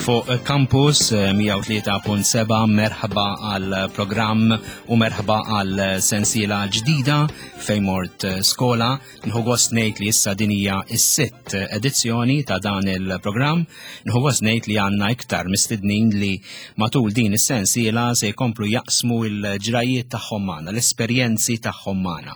Fuq Campus 103.7 eh, merħba għal programm u merħba għal sensiela ġdida fejn mort eh, skola. Nħu gost ngħid li issa din hija s-sitt edizzjoni ta' dan il-programm. Nħu gost ngħid li għandna iktar mistednin li matul din is-sensiela se jkomplu jaqsmu l-ġrajiet tagħhom magħna, l-esperjenzi tagħhom magħna.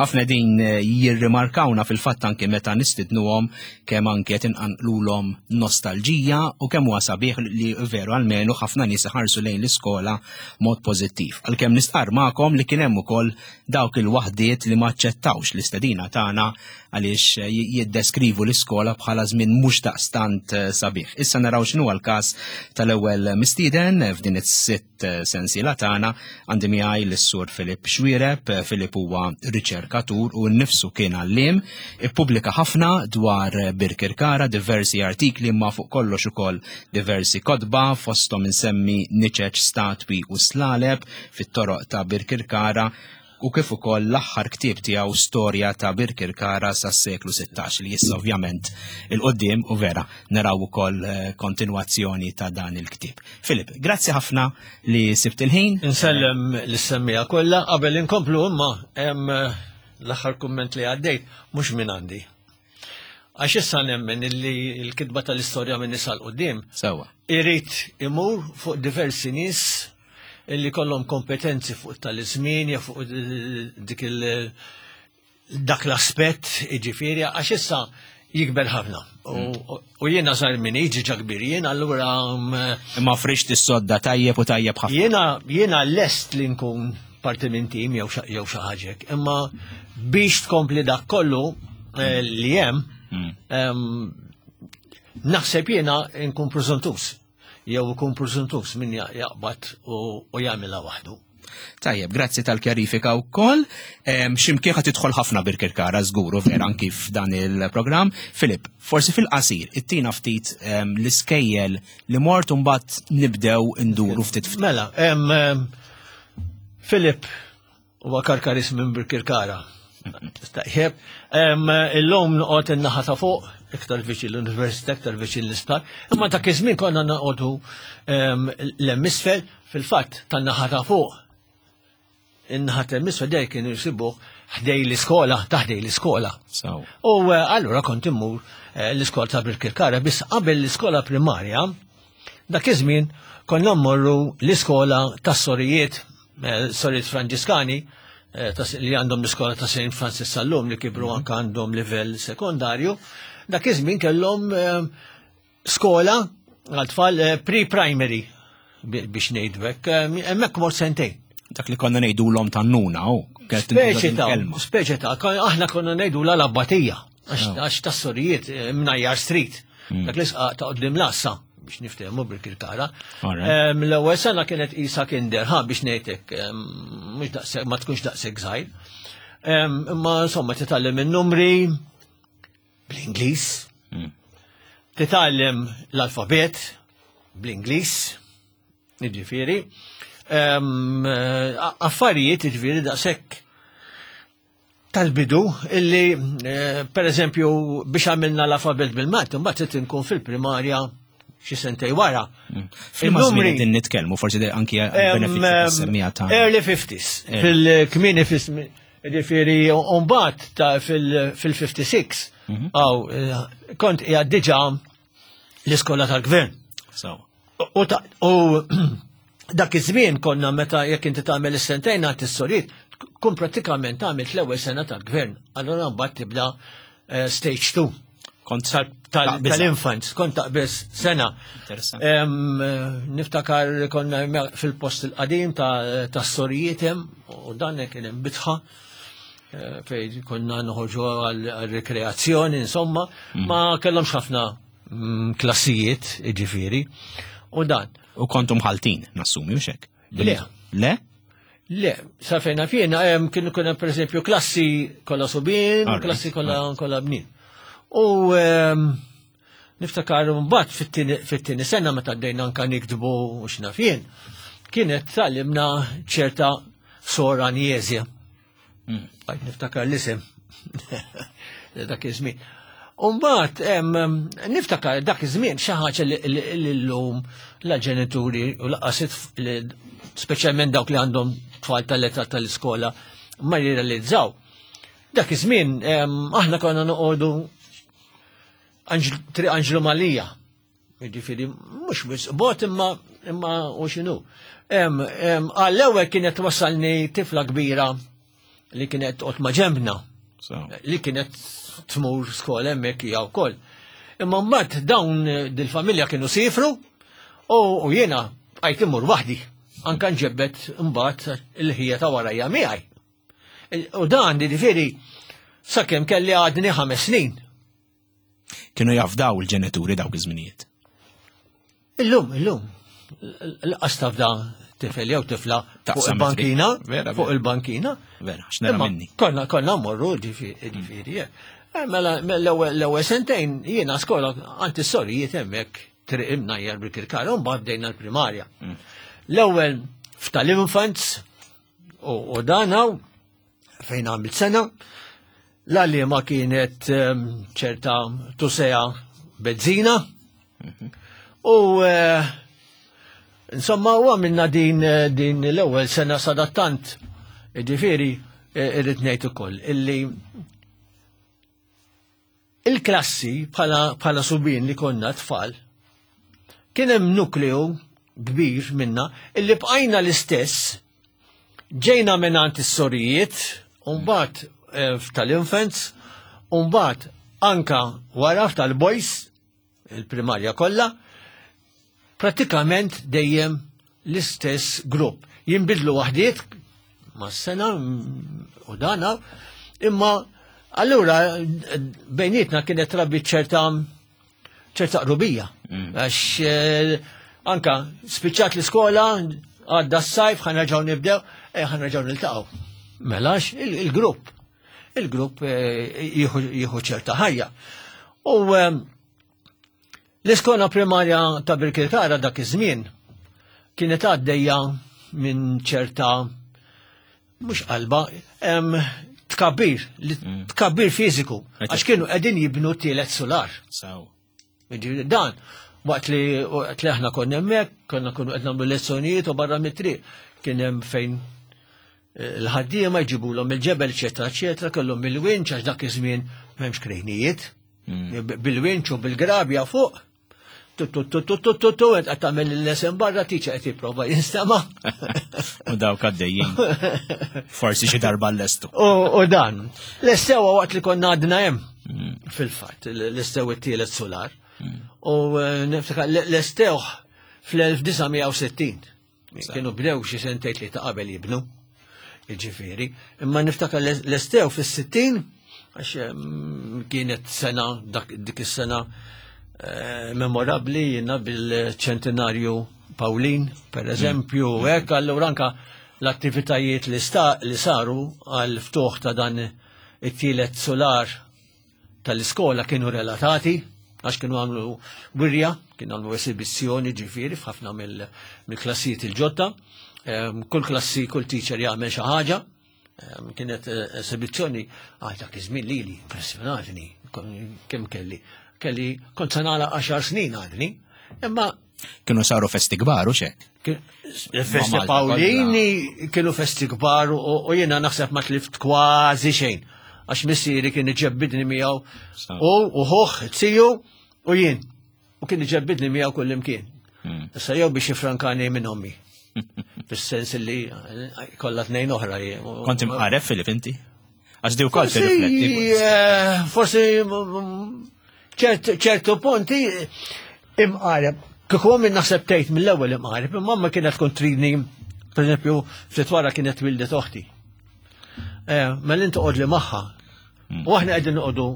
Ħafna din eh, jirrimarkawna fil-fatt anke meta nistidnuhom kemm anke qed inqanqlulhom nostalġija u kemm huwa sabiħ li veru almenu ħafna nies iħarsu lejn l-iskola mod pożittiv. Għalkemm nistqarr magħkom li kien hemm ukoll dawk il-waħdiet li ma aċċettawx l-istedina tagħna għaliex eh, jiddeskrivu l-iskola bħala żmien mhux daqstant eh, sabiħ. Issa naraw x'inhu l-każ tal-ewwel mistieden f'din is-sitt sensiela tagħna għandi miegħi lis-Sur Filip Xwireb. Filip huwa riċerkatur u nnifsu kien għalliem, ippubblika ħafna dwar Birkirkara, diversi artikli ma fuq kollox ukoll diversi kotba fosthom insemmi niċeċ statwi u slaleb fit-toroq ta' Birkirkara u kif ukoll l-aħħar ktieb tiegħu Storja ta' Birkirkara sas-seklu 16 li issa ovvjament il-qoddim u vera naraw ukoll eh, kontinwazzjoni ta' dan il-ktieb. Filip, grazzi ħafna li sibt il-ħin. Insellem l-semmija kollha qabel inkomplu imma hemm eh, l-aħħar kumment li għaddejt mhux minn għandi. Għax issa nemmen illi l-kitba tal-istorja minn nisa l-qoddim. Sewa. Irid imur fuq diversi nies illi kollhom kompetenzi fuq tal-iżmien jew fuq dik il dak l-aspett jiġifieri għax issa jikber ħafna. U jiena żgħir minn jiġi ġa kbir jien allura mm, Imma frixt is-sodda tajjeb u tajjeb ħafna. Jiena jiena lest li nkun parti minn tim jew jew xi ħaġa imma biex tkompli dak kollu eh, li hemm mm. naħseb jiena nkun preżuntus. jew ikun preżuntus min jaqbad u jagħmilha waħdu. Tajjeb, grazzi tal-kjarifika wkoll. X'imkien ħa tidħol ħafna Birkirkara żgur u vera anki f'dan il-programm. Filip, forsi fil-qasir, ittina ftit l-iskejjel li mort u mbagħad nibdew induru ftit ftit. Mela, Filip Huwa Karkaris minn Birkirkara. Tajjeb, illum noqgħod in-naħa ta' fuq, iktar viċin l-università, iktar viċin l-isptar. Imma dak iż-żmien konna noqogħdu l-hemm isfel fil-fatt tan-naħa ta' fuq. In-naħa ta' isfel dej kienu jsibuh ħdej l-iskola, ta' ħdej l-iskola. U eh, allura kont immur eh, l-iskola ta' Birkirkara, biss qabel l-iskola primarja, dak iż-żmien konna mmorru l-iskola tas-sorijiet Eh, Sorijiet Franġiskani eh, li għandhom l-iskola ta' St. Francis sal-lum li kibru mhm. anka għandhom livell sekondarju, dak iż-żmien kellhom eh, skola għal tfal pre-primary biex ngħidlek, hemmhekk mort sentejn. Dak li konna ngħidulhom tan-nuna u Speċi ta' speċi ta' aħna konna ngħidu l-abbatija għax tas-sorijiet mnajjar street. Mm. Dak l-isqa ta' qoddim l-assa biex niftehmu bil-kirkara. L-ewwel sena kienet isa kinder, ha biex ngħidlek, mhux daqshekk ma tkunx daqshekk żgħir. Imma insomma titgħallem in-numri bl-Ingliż. Mm. Titgħallem l-alfabet bl-Ingliż, jiġifieri. Affarijiet jiġifieri daqshekk tal-bidu illi eh, per eżempju biex għamilna l-alfabet bil-Malti, mbagħad trid inkun fil-primarja xi sentej wara. Mm. Fil-numri din nitkellmu forsi anki benefiċċju semmija ta' Early 50s, fil-kmini ġifieri mbagħad ta' fil-56 mhm. għaw eh, kont qiegħed diġà l-iskola tal-gvern. U dak iż-żmien konna meta jekk inti tagħmel is-sentejn għand is-soriet, tkun prattikament għamilt l-ewwel sena tal-gvern. Allura mbagħad tibda eh, stage 2. Kont tal-infants, kont taqbeż sena. Eh, niftakar konna fil-post il-qadim tas-sorijiet hemm u dan kien hemm bitħa eh, fejn konna noħorġu għal-rekreazzjoni, insomma, mm. ma kellhomx ħafna mm, klassijiet, ġifiri, u dan. U kontum ħaltin, nassumi, u xek? Le. Le? Le, sa fejna fjena, kienu kuna per eżempju klassi kolla subin, klassi kolla kolla bnin. U niftakar mbagħad fit-tieni sena meta għaddejna anka niktbu u x'naf jien, kienet tgħallimna ċerta sora Anjeżja. Mm. Għajt niftakar l-isem. Dak iż-żmien. Umbat, niftakar dak iż-żmien xi ħaġa li llum la ġenituri u laqas speċjalment dawk li għandhom tfal tal-età tal-iskola ma jirrealizzaw. Dak iż-żmien aħna konna noqogħdu Triq Anġlu Malija. Jiġifieri mhux wisq bot imma imma u x'inhu. Għall-ewwel kienet wasalni tifla kbira li kienet toqgħod ma' ġembna. Li kienet tmur skola hemmhekk hija wkoll. Imma mbagħad dawn dil-familja kienu sifru u jiena bqajt immur waħdi. Anka nġebbet mbagħad il-ħija ta' warajja miegħi. U dan jiġifieri sakemm kelli għadni ħames snin. Kienu jafdaw il-ġenituri dawk iż-żminijiet. Illum, illum, l-qas tafda tifel jew tifla fuq il-bankina, fuq il-bankina. Vera, x'nara minni. Konna konna morru ġifieri. Eh, mela, mela l-ewwel sentejn jiena skola għand is-sorijiet hemmhekk triq imnajjar bil-kirkara u mbagħad bdejna l-primarja. Mm. L-ewwel f'tal-infants u dan hawn fejn għamilt sena, l-għalliema kienet ehm, ċerta tusea bezzina u eh, insomma u għamilna din, eh, din l-ewwel sena sadattant ġifieri eh, irrid ngħid ukoll illi Il-klassi bħala, bħala subien li konna tfal, kien hemm nukleu kbir minna illi bqajna l-istess ġejna mingħand is-sorijiet, u mbagħad eh, tal-infants, u mbagħad anka wara tal-boys, il-primarja kollha, pratikament dejjem l-istess grupp. Jinbidlu waħdiet ma' sena u dana, imma allura bejnietna kienet rabbi ċerta ċerta qrubija. Mm. Għax eh, anka spiċċat l-iskola, għadda s-sajf, ħanraġaw nibdew, eh, ħanraġaw niltaqgħu. Melax il-grupp. Il-grupp eh, jieħu ċerta ħajja. U L-iskola primarja ta' Birkirkara dak iż-żmien kienet għaddejja minn ċerta mhux qalba, tkabbir, mm. tkabbir fiżiku, għax kienu qegħdin jibnu tielet solar. Dan, waqt li waqt li aħna konna hemmhekk, konna kunu qed nagħmlu lezzjonijiet u barra mit-triq kien hemm fejn eh, l-ħaddiema jġibulhom il-ġebel, eċetera, eċetera, kellhom il-winċ għax dak iż-żmien m'hemmx krejnijiet. Mm. Bil-winċ u bil-grabja fuq. Tu tu tu tu tu tu tu qed tagħmel il-lesson barra tiċa qed jipprova jinstema'. U dawk għaddejjin. Forsi xi darba l-lestu. U dan, l-estewa waqt li konna għadna hemm mm. fil-fatt, l-estew it-tielet solar. Mm. U eh, niftakar l-estewħ fl-1960. Kienu bdew xi sentejn li ta' qabel jibnu. Jiġifieri, imma niftakar l-estew fis-60 għax mm, kienet sena dik is-sena eh, memorabbli jiena bil-ċentinarju Paulin, per eżempju, mm. hekk allura anka l-attivitajiet li, li saru għal ftuħ ta' dan it-tielet solar tal-iskola kienu relatati, għax kienu għamlu wirja, kienu għamlu esibizzjoni ġifiri f'ħafna mill-klassijiet il-ġodda. Ehm, kull klassi, kull teacher jagħmel xi ħaġa. Ehm, kienet eh, esibizzjoni għal dak iż-żmien lili, impressjonatni, kemm kelli. Kelli kont se nagħlaq 10 snin għadni, imma Kienu saru festi kbar u xek. Festi Paolini kienu festi kbar u jiena naħseb ma tlift kważi xejn. Għax missieri kien iġebbidni miegħu u ħuħ tiju u jien. U kien iġebbidni miegħu kull imkien. Hmm. Issa jew biex jifrankani minn ommi. Fis-sens li kollha tnejn oħra. Kont imqaref Filip inti? Għax di wkoll tirrifletti. Eh, forsi ċertu punti imqareb. Kieku minn naħseb tgħid mill-ewwel imqareb, imma mamma kienet tkun tridni, pereżempju, ftit wara kienet wildet oħti. Eh, mela inti qod li magħha. Hmm. U aħna qegħdin noqogħdu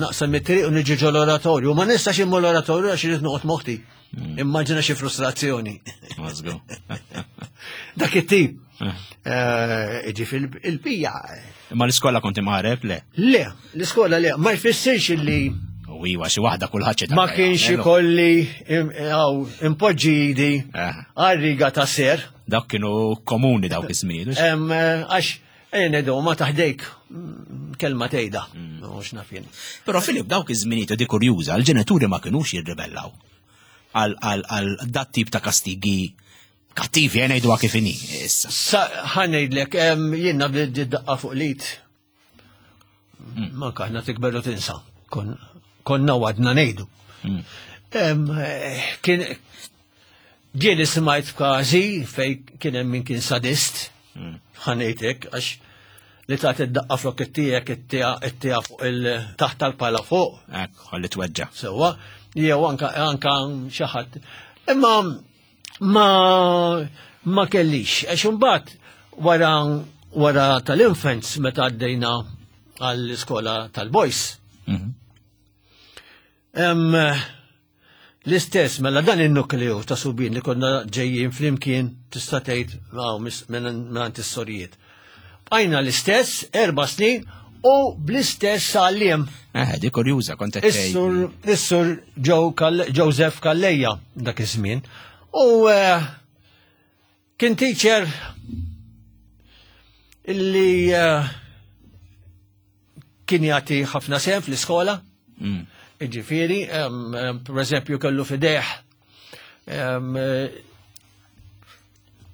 naqsam it-triq u niġi ġol oratorju. Ma nistax immu l-oratorju għax irid noqgħod moħti. Hmm. Immaġina xi frustrazzjoni. Dak it-tip. Eh. Eh, ġifi il-pija. Ma l-iskola konti maħreb, le? Le, l-iskola le, ma jfissirx illi. U iwa, xi waħda kulħadd Ma kienx ikolli impoġġi idi eh. għal-riga ta' ser. Dak kienu komuni dawk iż-żmien. Għax, ejn edu, ma taħdejk mm, kelma tgħidha. Mm. Mhux naf jien. Però Filip dawk iż-żminijiet di kurjuża, l-ġenituri ma kinux jirribellaw għal dat tip ta' kastigi kattivi, eh, ngħiduha kif inhi issa. Sa ħa ngħidlek, jiena bdiet daqqa fuq l-id. Manka aħna tikber u tinsa. Konna għadna ngħidu. Eh, kien ġieli smajt f'każi fej kien hemm min kien sadist, ħa ngħidlek, għax li tagħti d-daqqa flok it-tiegħek it-tija fuq il-taħt tal-pala fuq. Ekk, ħalli tweġġa. Sewwa, jew anka anka xi ħadd. Imma ma ma kellix, għax imbagħad wara wara tal-infants meta għaddejna għall-iskola tal-boys. L-istess, mela dan il-nukleu ta' subien li konna ġejjin flimkien tista' tgħid minn is-sorijiet. Bqajna l-istess 4 snin u bl-istess għalliem. Eh, di kurjuża kont qed tgħid. Is-sur Joseph Calleja dak iż-żmien. U eh, kien teacher illi eh, kien jagħti ħafna sehem fl-iskola. Jiġifieri, per eżempju kellu fideh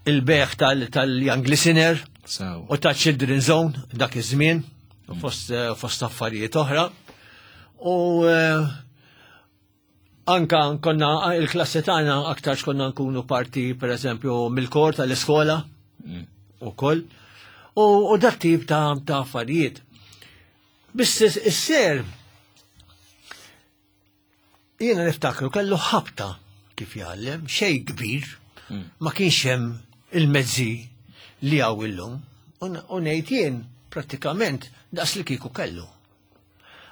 il-beħ tal-Young Listener u ta' Children Zone dak iż-żmien eh, fost affarijiet oħra. U eh, anka konna il-klassi tagħna aktar konna nkunu parti per eżempju mill-kor tal-iskola ukoll. U dak tip ta' affarijiet. Biss is-ser jiena niftakru kellu ħabta kif jgħallem, xejn kbir, hmm. ma kienx hemm il-mezzi li hawn illum. U ngħid jien prattikament daqs li kieku kellu.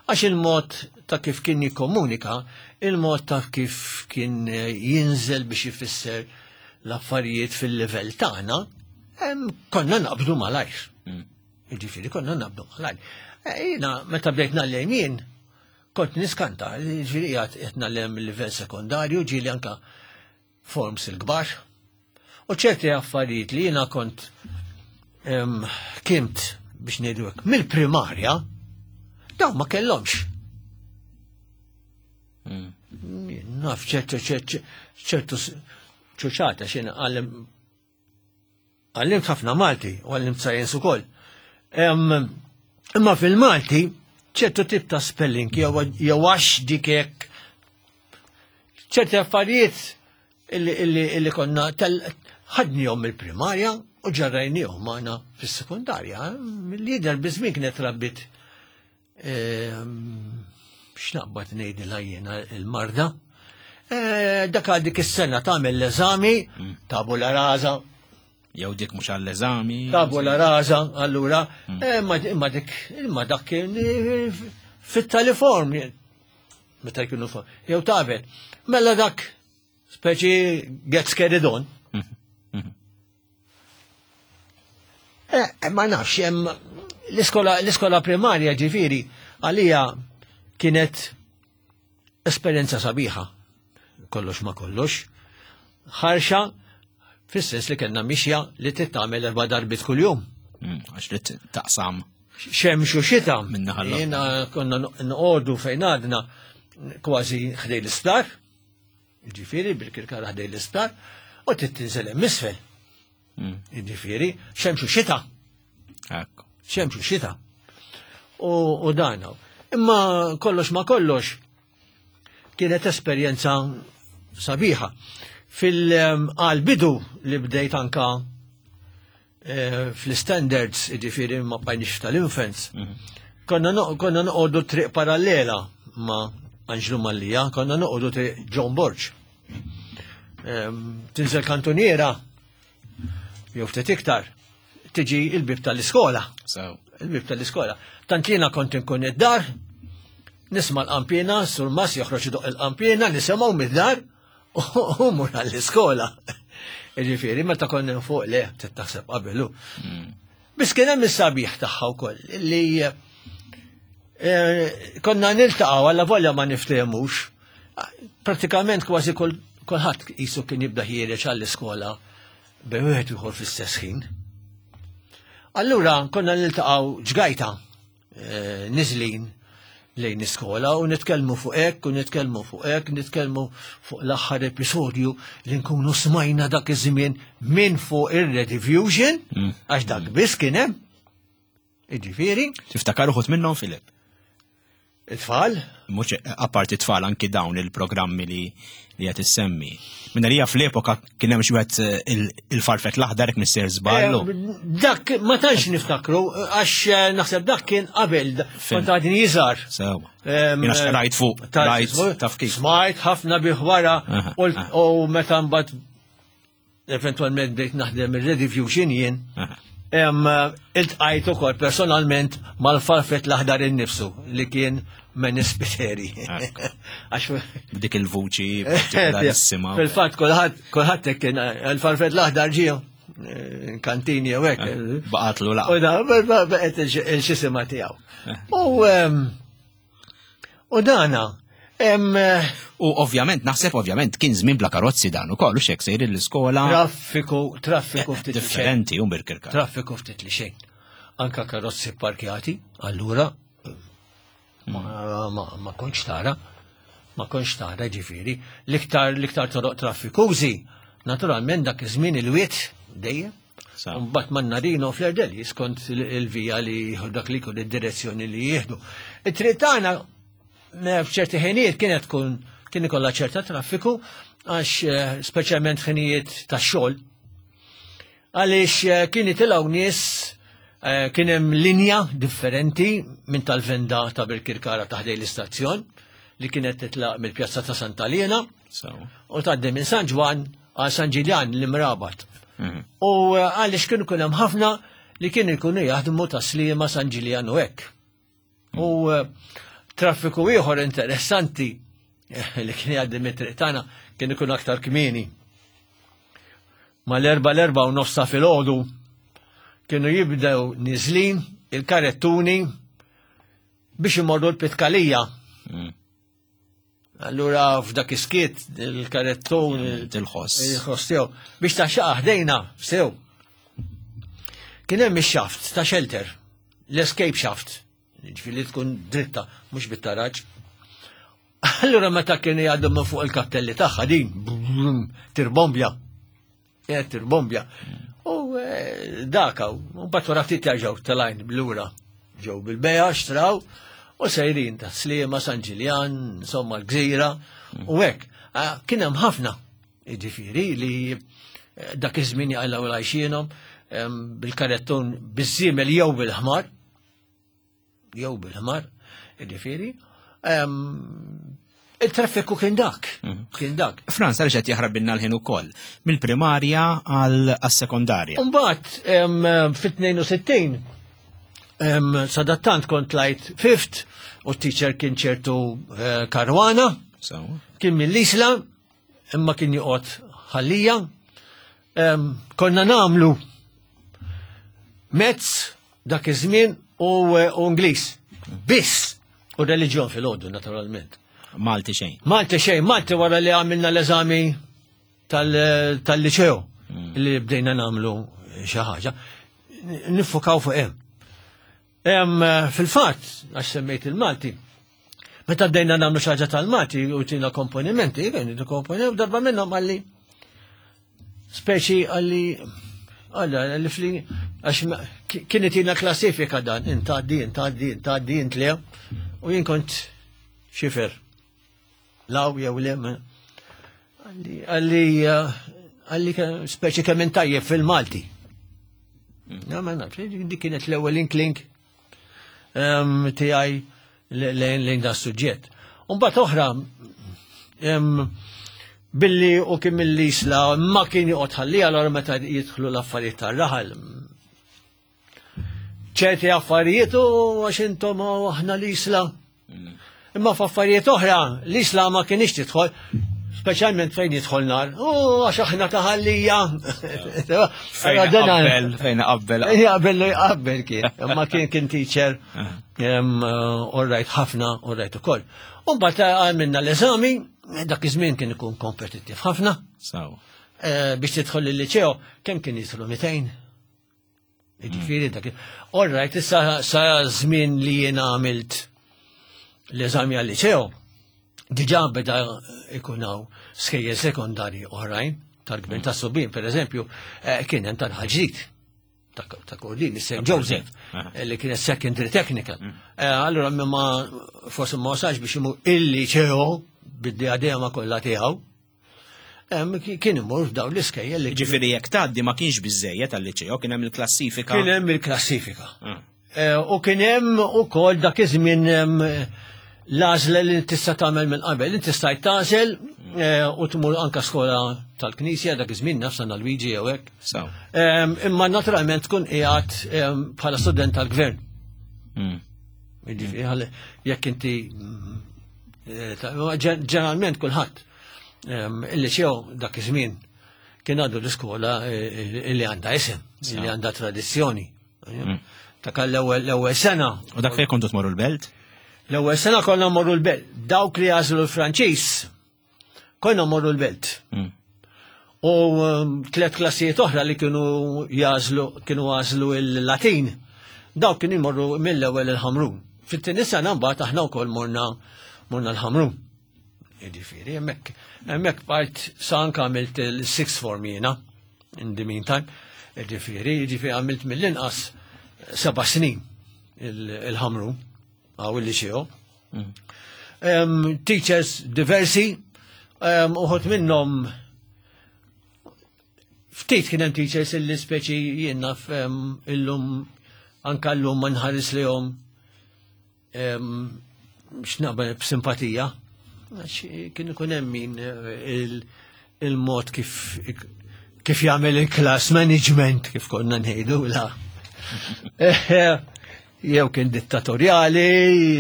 Għax il-mod ta' kif kien jikkomunika, il-mod ta' kif kien eh, jinżel biex ifisser l-affarijiet fil-livell tagħna, konna naqbdu malajr. Jiġifieri konna naqbdu malajr. Eh, jiena meta bdejt nagħllem jien, kont niskanta, jiġifieri qiegħed qed nagħllem il-livell sekondarju, ġieli anka forms il-kbar. U ċerti affarijiet li jiena kont kimt biex ngħidu hekk mill-primarja, dawn ma kellhomx. Hmm. Naf ċertu ċertu ċuċata x'in għallem Għallimt ħafna Malti u għallimt science ukoll. Imma fil-Malti ċertu tip ta' spelling jew għax dik hekk ċerti affarijiet illi konna ħadnihom mill-primarja u ġarrajnihom magħna fis-sekondarja. Mill-lider biżmien kienet rabbit Ehm, x'naqbad ngħidilha jiena il-marda. Eh, dak għal dik is-sena tagħmel l-eżami, mm. tabula rasa. Jew dik mhux għall-eżami. Tabula rasa, allura, mm. eh, imma dik imma dak kien eh, fit-taliform meta jkunu jew tabel. Mela dak Speċi gets carried on. Eh, eh, ma nafx, hemm l-iskola primarja ġifieri għalija kienet esperjenza sabiħa. Kollox ma kollox. Ħarxa, fis-sens li kellna mixja li titgħamel erba' darbiet kuljum. Mm, għax li taqsam. Xemx u xita. Jiena konna noqogħdu fejn għadna kważi ħdej l-isptar. Ġifieri bil-kirkara ħdej l-isptar u trid tinżel hemm isfel. Mm. Ġifieri, xemx u xita. Xemx u xita. U dan. Imma kollox ma kollox kienet esperjenza sabiħa. Fil-bidu li bdejt anka eh, fl-standards, ġifiri ma bqajniex tal-infants, mhm. konna noqogħdu triq parallela ma' Anġlu Mallija, konna noqogħdu triq John Borg. Ehm, tinżel kantuniera, jew ftit iktar, tiġi il-bib tal-iskola. Il-bib tal-iskola. Tant jiena kont inkun id-dar, nisma' l-qampina, sur mas joħroġ idoq il-qampina, nisimgħu mid-dar, U mur għall-iskola. Ġifieri, meta konna fuq le, taħseb qabelu. Hmm. Biss kien hemm is-sabiħ tagħha wkoll li eh, konna niltaqgħu alla volja ma niftehmux. Pratikament kważi kulħadd qisu kien jibda ħiereġ għall-iskola bejn wieħed ieħor fl-istess ħin. Allura konna niltaqgħu ġgajta eh, niżlin. lejn iskola u nitkellmu fuq hekk u nitkellmu fuq hekk, nitkellmu fuq l-aħħar episodju li nkunu smajna dak iż-żmien minn fuq ir-Rediffusion, għax dak biss kien hemm. Jiġifieri. Tiftakar uħud minnhom Filip? It-tfal? Mhux apparti tfal anki dawn il-programmi li li qed issemmi. Minna li fl-epoka kien hemm xi wieħed eh, il-farfet l-aħdar hekk missier żballu. Eh, dak ma tantx niftakru għax eh, naħseb dak kien qabel kont għadni jiżar. Sewa. Jiena rajt fuq, rajt taf kif. Smajt ħafna bih wara u meta mbagħad eventualment bdejt naħdem ir-Rediffusion jien, iltqajt ukoll personalment mal-farfet l-aħdar innifsu li kien Menis Spiteri. Għax dik il-vuċi partikolarissima. Fil-fatt kulħadd kulħadd kien il-farfet l-aħdar ġie eh, kantini jew hekk. Eh, baqatlu laqgħa. U da baqgħet il-xisima tiegħu. U U dana, eh, U ovvjament, naħseb ovvjament kien żmien bla karozzi dan ukoll u xek sejr l-iskola. Traffiku, traffiku ftit differenti u birkirka. Traffiku ftit li xejn. Anka karozzi parkjati, allura ma, ma, ma kontx tara. Ma kontx tara ġifieri. L-iktar l-iktar toroq traffikużi, naturalment dak iż-żmien il-wiet dejjem. Mbagħad man-Narino fl-Erdeli skont il-vija li jieħu dak li jkun id-direzzjoni li jieħdu. It-triq tagħna eh, f'ċerti ħinijiet kienet tkun kien ikollha ċerta traffiku għax eh, speċjalment ħinijiet tax-xogħol. Għaliex eh, kien jitilgħu nies kien hemm linja differenti minn tal-venda ta' Birkirkara taħdej l-istazzjon li kienet titlaq mill-Pjazza ta' Santa Liena u tgħaddi minn San Ġwann għal San Ġiljan l-Imrabat. Mhm. U eh, għaliex kienu kun hemm ħafna li kienu jkunu jaħdmu ta' Sliema San Ġiljan u hekk. Mhm. U eh, traffiku ieħor interessanti eh, li kien jgħaddi mit-triq tagħna kien ikun aktar kmieni. Mal-erba l-erba u nofsa filgħodu kienu jibdew niżlin il-karettuni biex imorru l-pitkalija. Mhm. Allura f'dak iskiet il-karettun il-ħoss. Il-ħoss tiegħu biex ta' xaqa ħdejna sew. Kien hemm ix-xaft ta' shelter, l-escape shaft, ġifieri tkun dritta mhux bit-taraġ. Allura meta kienu jgħaddu minn fuq il-kappelli tagħha din tirbombja. Qed tirbombja. U eh, daka, u mbagħad wara ftit jerġgħu telajn lura. Ġew bil-beja, xtraw, u sejrin ta' Sliema, San Ġiljan, insomma l-Gżira, u hekk. Ah, kien hemm ħafna, jiġifieri li eh, dak iż-żmien jaqilgħu l-għajxienhom bil-karettun biż-żiemel jew bil-ħmar, jew bil-ħmar, jiġifieri. Il-traffiku kien dak, mhm. kien dak. Franz, għaliex qed jaħrab binna l-ħin ukoll, mill-primarja għal sekondarja. Mbagħad fit-62 sadattant kont lajt fifth u t-teacher kien ċertu eh, Karwana, kien mill-Isla, imma kien joqgħod ħallija. Konna namlu mezz dak iż-żmien u eh, Ingliż. Biss u reliġjon fil-għodu naturalment. Malti xejn. Malti xejn, Malti wara li għamilna l-eżami tal-liċew mm. li bdejna namlu xi ħaġa. Nifukaw fuq hemm. Hemm eh, fil-fatt, għax semmejt il-Malti, meta bdejna nagħmlu xi ħaġa tal-Malti u tina komponimenti, komponimenti, darba minnhom għalli Speċi għalli għalla li fli għax kienet jina klassifika dan, intaddi, intaddi, intaddi, intle, u jien kont xifer. Law jew le, għalli, għalli, għalli speċi kemm intajjeb fil-Malti. Ja, ma nafx, dik kienet l-ewwel inkling ehm, tiegħi lejn da suġġett. Umbagħad oħra ehm, billi u kien mill-isla ma kien joqgħod ħalli allura meta jidħlu l-affarijiet tar-raħal. ċerti affarijiet u għax intom aħna l-isla. Imma f'affarijiet oħra l-isla ma kienx tidħol, speċjalment fejn jidħol nar. U għax aħna taħallija. Fejn qabel, fejn qabel. Jaqbel li jaqbel kien. Imma kien kien teacher eh, all right ħafna, all right ukoll. U mbagħad għamilna l-eżami, dak iż-żmien kien ikun kompetittiv ħafna. Eh, biex tidħol il-liċeo, kemm kien jidħlu 200? Ġifieri dak. All right, issa sa żmien li jien għamilt. l-eżami għal-liceo, diġà beda ikun hawn skejjel sekondarji oħrajn tal-gvern ta' subien, per eżempju, eh, kien hemm tal-ħaġġid ta' Kordin, St. Joseph, eh, li kienet secondary technical. Mm. Eh, allura ma forsi ma wasalx biex imur il-liceo bid-diadema kollha tiegħu, kien imur f'dawn l-iskejjel li. Ġifieri jekk tgħaddi ma kienx biżejjed għal-liċeo, kien hemm il-klassifika. Kien hemm il-klassifika. Ah. Eh, u kien hemm ukoll dak iż-żmien l-għażla li tista' tagħmel minn qabel. Inti stajt tagħżel eh, u tmur anka skola tal-Knisja dak iż-żmien naf San Luigi jew hekk. Imma naturalment tkun qiegħed bħala student tal-gvern. Hmm. Jekk inti eh, ġeneralment kulħadd Il-liċew dak iż-żmien kien għandu l-iskola eh, eh, li għandha isem, li għandha tradizzjoni. Mm. Ta' l-ewwel sena. U dak fejn kontu tmorru l-belt? L-ewwel sena konna morru l-belt. Dawk li għażlu l-Franċiż konna morru l-belt. Mm. U um, tlet klassijiet oħra li kienu jażlu kienu għażlu il-Latin, dawk kienu jmorru mill-ewwel il-Ħamrun. Fit-tieni sena mbagħad aħna wkoll morna morna l-Ħamrun. Jiġifieri, hemmhekk hemmhekk bqajt sa anke għamilt il-sixth form jiena in the meantime. Jiġifieri, jiġifieri għamilt mill-inqas seba' snin il-ħamru għaw il-liċeo. Mm. Teachers diversi, uħut minnhom ftit kien hemm teachers illi speċi jien naf illum anka llum ma nħares lihom x'naqbel b'simpatija, kien ikun hemm min eh, il-mod kif kif jagħmel il-class management kif konna ngħidu la. Eh, eh, jew kien dittatorjali,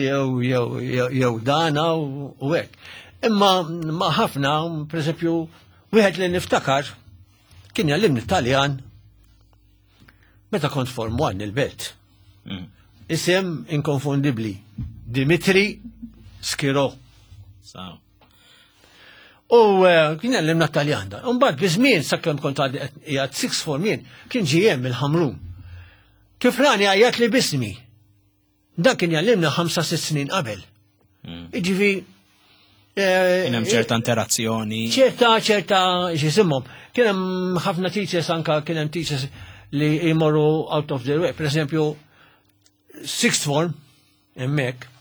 jew jew jew dana u hekk. Imma ma ħafna, pereżempju, wieħed li niftakar kien jgħallimni Taljan Meta kont form 1 il-belt. Mm. Isem inkonfondibli. Dimitri Skiro. U eh, kien għallimna Taljan dan. Umbagħad bi żmien sakemm kont għaddi qiegħed six form jien, kien ġie hemm il-Ħamrun. Kif rani għajjat li bismi. Dan kien jgħallimna ħamsa sitt snin qabel. Mm. Iġifi. Eh, kien hemm ċerta interazzjoni. ċerta, ċerta, x'isimhom. Kien hemm ħafna teachers anka kien hemm teachers li jmorru out of their way. Per eżempju, sixth form, hemmhekk,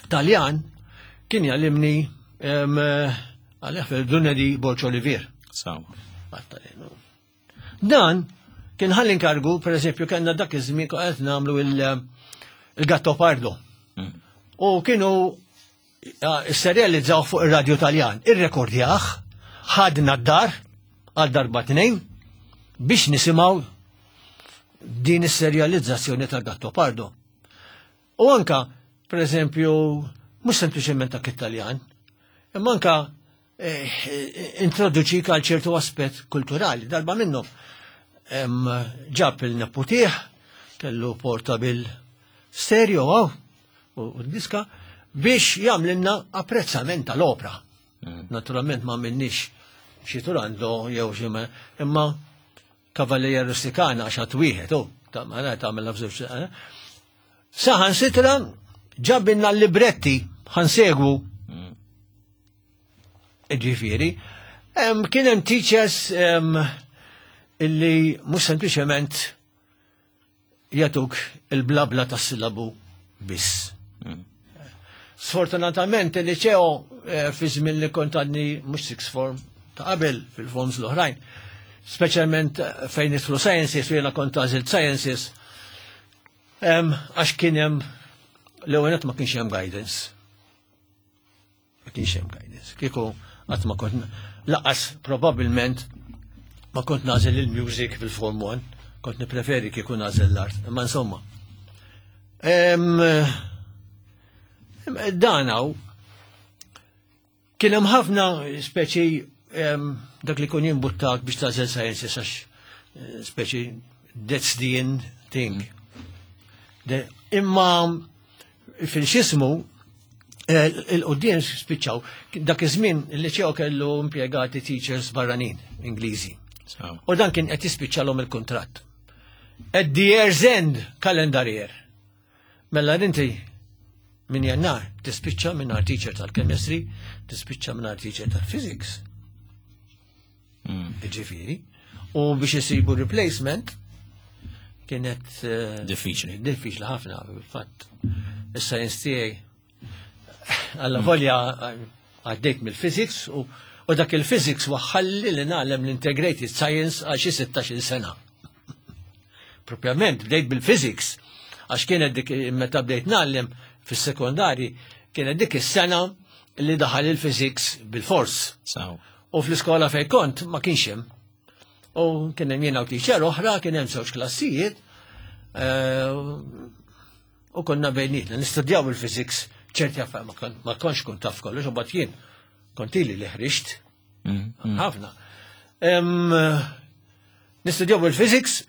Taljan, kien jgħallimni eh, għalih fil-Dunedi Borċ Olivier. Sawa. Dan kien ħalli inkargu, per eżempju, kellna dak iż-żmien qed nagħmlu il-Gatto Pardo. Mm. U kienu serializzaw fuq ir-radju Taljan. Irrekordjah, ħadna d-dar għal darba tnejn biex nisimgħu din is-serjalizzazzjoni tal-Gatto Pardo. U anka, per eżempju, mhux sempliċement dak Italjan, imma anka eh, introduċik għal ċertu aspett kulturali. Darba minnhom ġab il-neputih, kellu portabil stereo għaw, u diska, biex jagħmlilna apprezzament tal-opra. Mm. Naturalment ma minnix xi turando jew xi imma Kavalleria Rusticana għax għat wieħed, u ta' tagħmel f'żewġ. Eh? Saħan sitra ġabinna l-libretti ħansegwu. Mm. Ġifieri, kien hemm teachers illi mhux sempliċement jagħtuk il-blabla tas-sillabu biss. Mm. Sfortunatament il-liceo eh, fi żmien li kont għadni mhux six form ta' qabel fil-forms l-oħrajn, speċjalment eh, fejn nidħlu sciences u jiena kont għażilt sciences, għax kien hemm l-ewwel ma kienx hemm guidance. Ma kienx hemm guidance. Kieku qatt ma kont laqas probabbilment ma kont nażel il-music fil-Form 1, kont nippreferi kieku nażel l-art. Imma insomma. Dan hawn kien hemm ħafna speċi dak li kun jimbuttak biex tażel sciences għax eh, speċi that's the end thing. Imma fil-xismu, eh, il-qoddim spiċċaw, dak iż-żmien il-liċew kellu impjegati teachers barranin Ingliżi. U dan kien qed jispiċċalhom il-kuntratt. At the year's end, calendar year. Mela inti Minn jannar tispiċċa minn teacher tal-chemistry, tispiċċa minn teacher tal-physics. Ġifieri. U biex isibu replacement kienet eh, diffiċli. Diffiċli ħafna, fil-fatt. Is-science tiegħi alla volja għaddejt mill-physics u u dak il-physics waħħalli li nagħlem l-integrated science għal xi 16 sena. Propjament bdejt bil-physics għax kienet dik meta bdejt nagħlem fis-sekondari kienet dik is-sena li daħal il-physics bil-fors. U fl-iskola fej kont ma kienx hemm. U kien hemm jiena u teacher oħra, kien hemm żewġ klassijiet. Eh, u konna bejnietna nistudjaw il-physics ċerti affarijiet ma kontx kont taf kollox, u bat jien kont ili li ħriġt. Mm, mm. Ħafna. Nistudjaw il-physics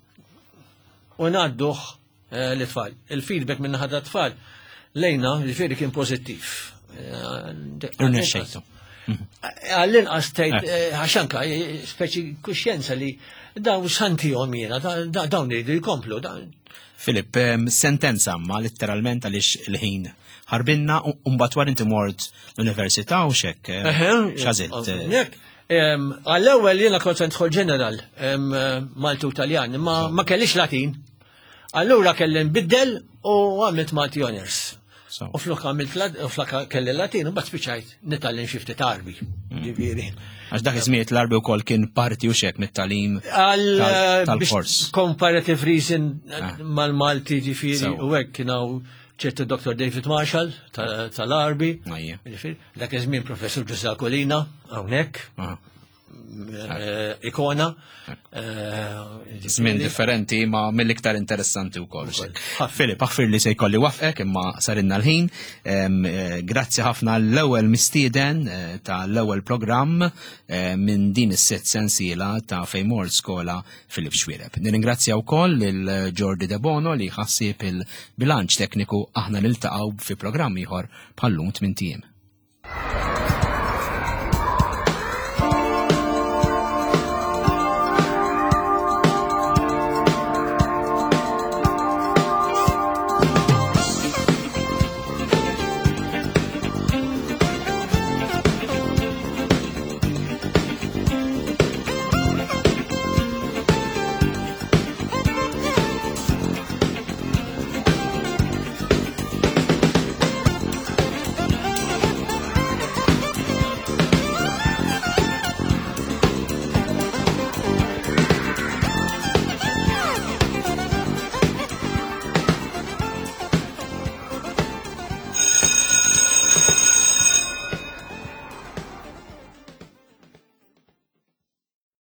u ngħadduh eh, l-tfal. Il-feedback minn ħadha tfal lejna ġifieri kien pożittiv. Eh, Irnexxejtu. Għall-inqas tgħid eh, għax anka speċi kuxjenza li dawn x'antihom jiena, dawn iridu jkomplu. Filip, sentenza ma letteralment għaliex il-ħin ħarbinna u mbagħad wara inti mort l-università u xek. X'għażilt? Għall-ewwel jiena kont se nidħol ġeneral Malti u Taljan, ma ma kellix Latin. Allura kelli nbiddel u għamilt Malti Honors. U flok għamilt u flok kelli Latin u mbagħad spiċċajt nitgħallem xi ftit Arbi. Mm. Ġifieri. Għax dak iż-żmien l-Arbi wkoll kien parti u xek mit-tagħlim eh, tal-kors. Comparative reason ah. mal-Malti ġifieri u hekk kien hawn ċertu Dr. David Marshall tal-Arbi. Dak iż-żmien Professur Ġużè Colina hawnhekk. Ah. Eh, ikona. Eh, Żmien differenti ma mill-iktar interessanti wkoll. Filip, aħfir li se jkolli wafqek imma sarinna l-ħin. Eh, grazzi ħafna l-ewwel mistieden tal-ewwel programm minn din is-sitt sensiela ta' Fejmor Skola Filip Xwireb. Nirringrazzja wkoll lil Jordi De Bono li ħassieb il-bilanċ tekniku aħna niltaqgħu fi programm ieħor bħallum tmien tiem.